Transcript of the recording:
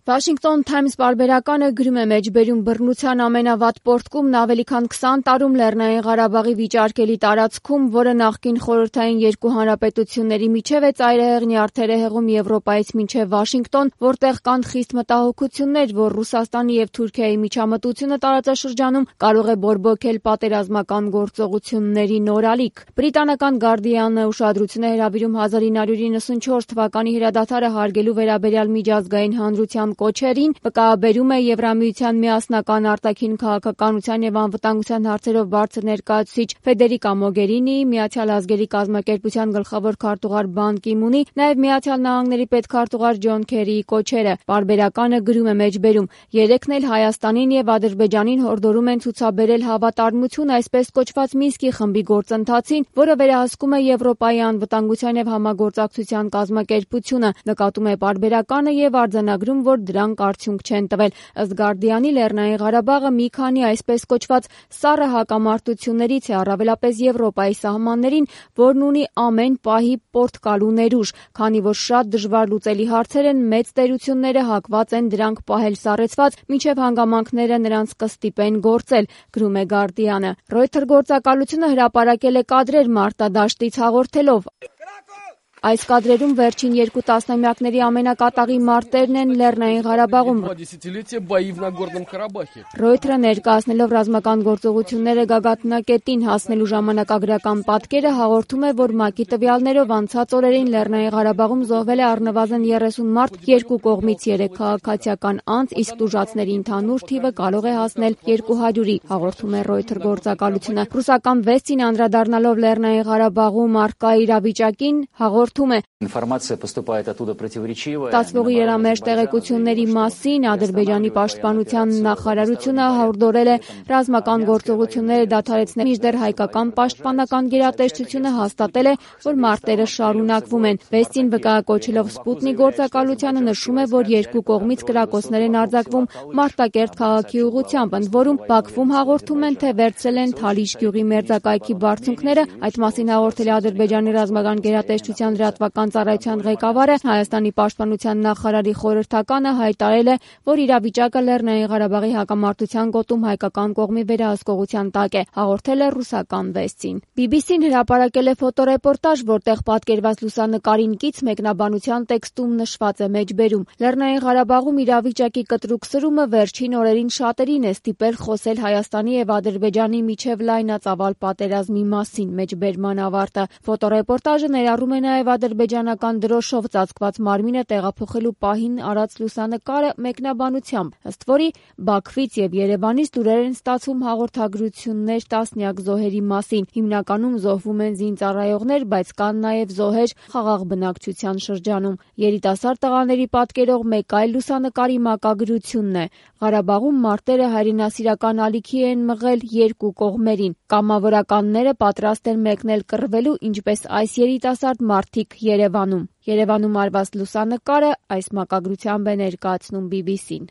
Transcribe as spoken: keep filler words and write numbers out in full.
Washington Times պարբերականը գրում է մեջբերում բռնության ամենավատ պոռթկումն ավելի քան քսան տարում Լեռնային Ղարաբաղի վիճարկելի տարածքում, որը նախկին խորհրդային երկու հանրապետությունների միջև է ծայրահեղ նյարդեր է հեղում Եվրոպայից մինչև Վաշինգտոն, որտեղ կան խիստ մտահոգություններ, որ Ռուսաստանի և Թուրքիայի միջամտությունը տարածաշրջանում կարող է բորբոքել պատերազմական գործողությունների նոր ալիք։ Բրիտանական Guardian-ը ուշադրություն է հրավիրում հազար ինը հարյուր իննսունչորս թվականի հրադադարը հարգելու վերաբերյալ միջազգային հանրության կոչերին, վկայաբերում է Եվրամիության միասնական արտաքին քաղաքականության և անվտանգության հարցերով բարձր ներկայացուցիչ Ֆեդերիկա Մոգերինիի, Միացյալ ազգերի կազմակերպության գլխավոր քարտուղար Բան Կի Մունի, նաև Միացյալ Նահանգների պետքարտուղար Ջոն Քերիի կոչերը։ Պարբերականը գրում է մեջբերում. երեքն էլ Հայաստանին և Ադրբեջանին հորդորում են ցուցաբերել հավատարմություն այսպես կոչված Մինսկի խմբի գործընթացին, որը վերահսկում է Եվրոպայի անվտանգության և համագործակցության կազմակերպությունը։ Նկատում է պարբերականը և արձանագրում, որ դրանք արդյունք չեն տվել։ Ըստ Guardian-ի Լեռնային Ղարաբաղը մի քանի այսպես կոչված սառը հակամարտություններից է, առավելապես Եվրոպայի սահմաններին, որն ունի ամեն պահի պոռթկալու ներուժ, քանի որ շատ դժվար լուծելի հարցեր են, մեծ տերությունները հակված են դրանք պահել սառեցված, մինչև հանգամանքները նրանց կստիպեն գործել, գրում է Guardian-ը։ Reuters գործակալությունը հրապարակել է կադրեր մարտադաշտից հաղորդելով. Այս կադրերում վերջին երկու տասնամյակների ամենակատաղի մարտերն են Լեռնային Ղարաբաղում։ Reuters-ը ներկայացնելով ռազմական գործողությունները գագաթնակետին հասնելու ժամանակագրական պատկերը հաղորդում է, որ ՄԱԿ-ի տվյալներով անցած օրերին Լեռնային Ղարաբաղում զոհվել է առնվազն երեսուն մարդ երկու կողմից երեք քաղաքացիական անձ, իսկ տուժածների ընդհանուր թիվը կարող է հասնել երկու հարյուրի, հաղորդում է Reuters գործակալությունը։ Ռուսական վեստին անդրադառնալով Լեռնային Ղարաբաղում առկա իրավիճակին հաղորդում է. Ստացվող իրարամերժ տեղեկությունների մասին Ադրբեջանի պաշտպանության նախարարությունը հորդորել է ռազմական գործողությունները դադարեցնել, մինչդեռ հայկական պաշտպանական գերատեսչությունը հաստատել է, որ մարտերը շարունակվում են։ Վեստին վկայակոչելով Սպուտնիկ գործակալությանը նշում է, որ երկու կողմից կրակոցներ են արձակվում Մարտակերտ քաղաքի ուղղությամբ, ընդ որում Բաքվում հաղորդում են, թե վերցրել են Թալիշ գյուղի մերձակայքի բարձունքները։ Այդ մասին հաղորդել է Ադրբեջանի ռազմական գերատեսչության լրատվական ծառայության ղեկավարը։ Հայաստանի պաշտպանության նախարարի խորհրդականը հայտարարել է, որ իրավիճակը Լեռնային Ղարաբաղի հակամարտության գոտում հայկական կողմի վերահսկողության տակ է, հաղորդել է ռուսական վեստին։ բի բի սին հրապարակել է ֆոտոռեպորտաժ, որտեղ պատկերված լուսանկարին կից մեկնաբանության տեքստում նշված է մեջբերում. Լեռնային Ղարաբաղում իրավիճակի կտրուկ սրումը վերջին օրերին շատերին է ստիպել խոսել Հայաստանի և Ադրբեջանի միջև լայնածավալ պատերազմի մասին, մեջբերման ավարտը։ Ֆոտոռեպորտաժը ներառում է նաև ադրբեջանական դրոշով ծածկված մարմինը տեղափոխելու պահին արած լուսանկարը մեկնաբանությամբ, ըստ որի Բաքվից և Երևանից լուրեր են ստացվում հաղորդագրություններ տասնյակ զոհերի մասին։ Հիմնականում զոհվում են զինծառայողներ, բայց կան նաև զոհեր խաղաղ բնակչության շրջանում։ Երիտասարդ տղաների պատկերող մեկ այլ լուսանկարի մակագրությունն է. Ղարաբաղում մարտերը հայրենասիրական ալիքի են մղել երկու կողմերին։ Կամավորականները պատրաստ են մեկնել կռվելու, ինչպես այս երիտասարդ մարդիկ Երևանում։ Երևանում արված լուսանկարը այս մակագրությամբ է ներկայացնում բի բի սին։